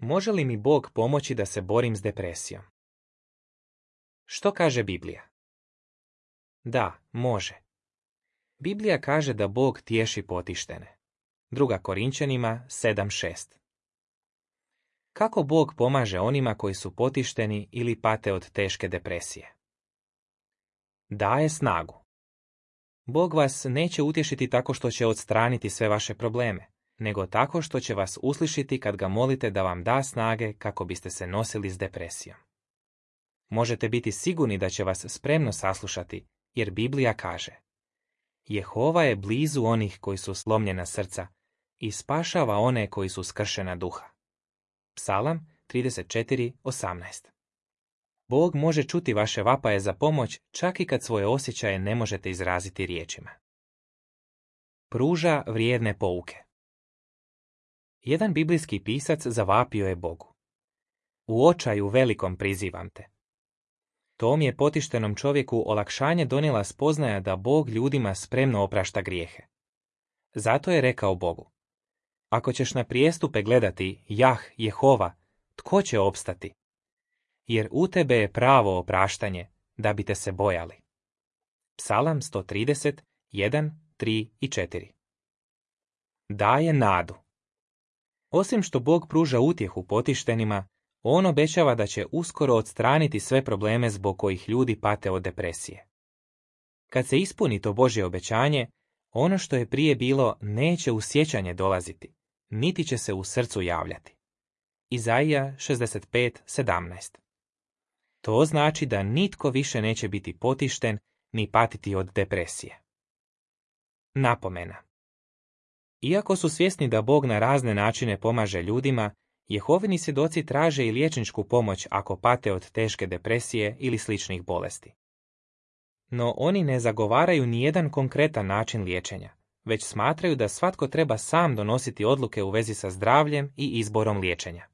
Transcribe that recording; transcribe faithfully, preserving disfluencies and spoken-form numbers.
Može li mi Bog pomoći da se borim s depresijom? Što kaže Biblija? Da, može. Biblija kaže da Bog tješi potištene. Druga Korinćanima sedam šest. Kako Bog pomaže onima koji su potišteni ili pate od teške depresije? Daje snagu. Bog vas neće utješiti tako što će odstraniti sve vaše probleme, nego tako što će vas uslišiti kad ga molite da vam da snage kako biste se nosili s depresijom. Možete biti sigurni da će vas spremno saslušati, jer Biblija kaže: Jehova je blizu onih koji su slomljena srca i spašava one koji su skršena duha. Psalam trideset četiri osamnaest. Bog može čuti vaše vapaje za pomoć čak i kad svoje osjećaje ne možete izraziti riječima. Pruža vrijedne pouke. Jedan biblijski pisac zavapio je Bogu: U očaju velikom prizivam te. Tom je potištenom čovjeku olakšanje donijela spoznaja da Bog ljudima spremno oprašta grijehe. Zato je rekao Bogu: Ako ćeš na prijestupe gledati, Jah, Jehova, tko će opstati? Jer u tebe je pravo opraštanje, da bi te se bojali. Psalam sto trideset, jedan, tri i četiri. Daje nadu. Osim što Bog pruža utjehu potištenima, on obećava da će uskoro odstraniti sve probleme zbog kojih ljudi pate od depresije. Kad se ispuni to Božje obećanje, ono što je prije bilo neće u sjećanje dolaziti, niti će se u srcu javljati. Izaija šezdeset pet sedamnaest. To znači da nitko više neće biti potišten ni patiti od depresije. Napomena. Iako su svjesni da Bog na razne načine pomaže ljudima, Jehovini svjedoci traže i liječničku pomoć ako pate od teške depresije ili sličnih bolesti. No oni ne zagovaraju nijedan konkretan način liječenja, već smatraju da svatko treba sam donositi odluke u vezi sa zdravljem i izborom liječenja.